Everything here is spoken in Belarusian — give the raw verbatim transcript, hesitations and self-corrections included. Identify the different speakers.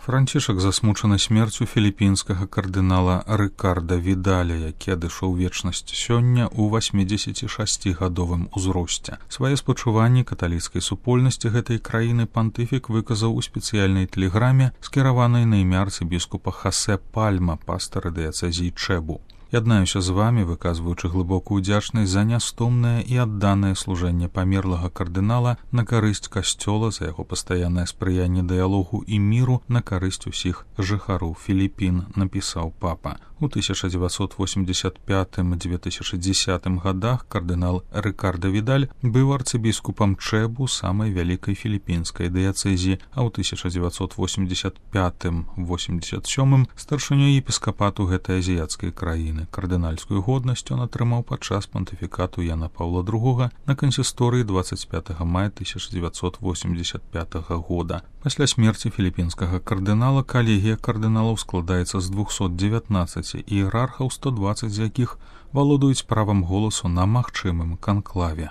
Speaker 1: Францішак засмучаны смерцю філіпінскага кардынала Рыкарда Відаля, які адышоў вечнасць сёння ў васьмідзесяцішасцігадовым узросце. Свае спачуванні каталіцкай супольнасці гэтай краіны пантыфік выказаў у спецыяльнай тэлеграме, скіраванай на імя арцыбіскупа Хасе Пальма, пастара дыяцэзіі Чэбу. Яднаюся з вамі, выказваючы глыбокую ўдзячнасць за нястомнае і адданае служэнне памерлага кардынала на карысць касцёла, за яго пастаяннае спрыянне дыялогу і міру на карысць усіх жыхароў Філіпін, напісаў папа. У тысяча дзевяцьсот восемьдесят пятым — две тысячи десятым годах кардынал Рыкарда Відаль быў арцыбіскупам Чэбу, самай вялікай філіпінскай дыяцэзіі, а ў тысяча дзевяцьсот восемьдесят пятым — восемьдесят сёмым епіскапату эпіскапату гэтай азіяцкай краіны. Кардынальскую годнасць ён атрымаў падчас пантыфікату Яна Паўла другога на кансісторыі двадцать пятого мая тысяча дзевяцьсот восемьдесят пятого года. Пасля смерці філіпінскага кардынала калегія кардыналаў складаецца з двухсот дзевятнаццаці іерархаў, сто дваццаць з якіх валодаюць правам голасу на магчымым канклаве.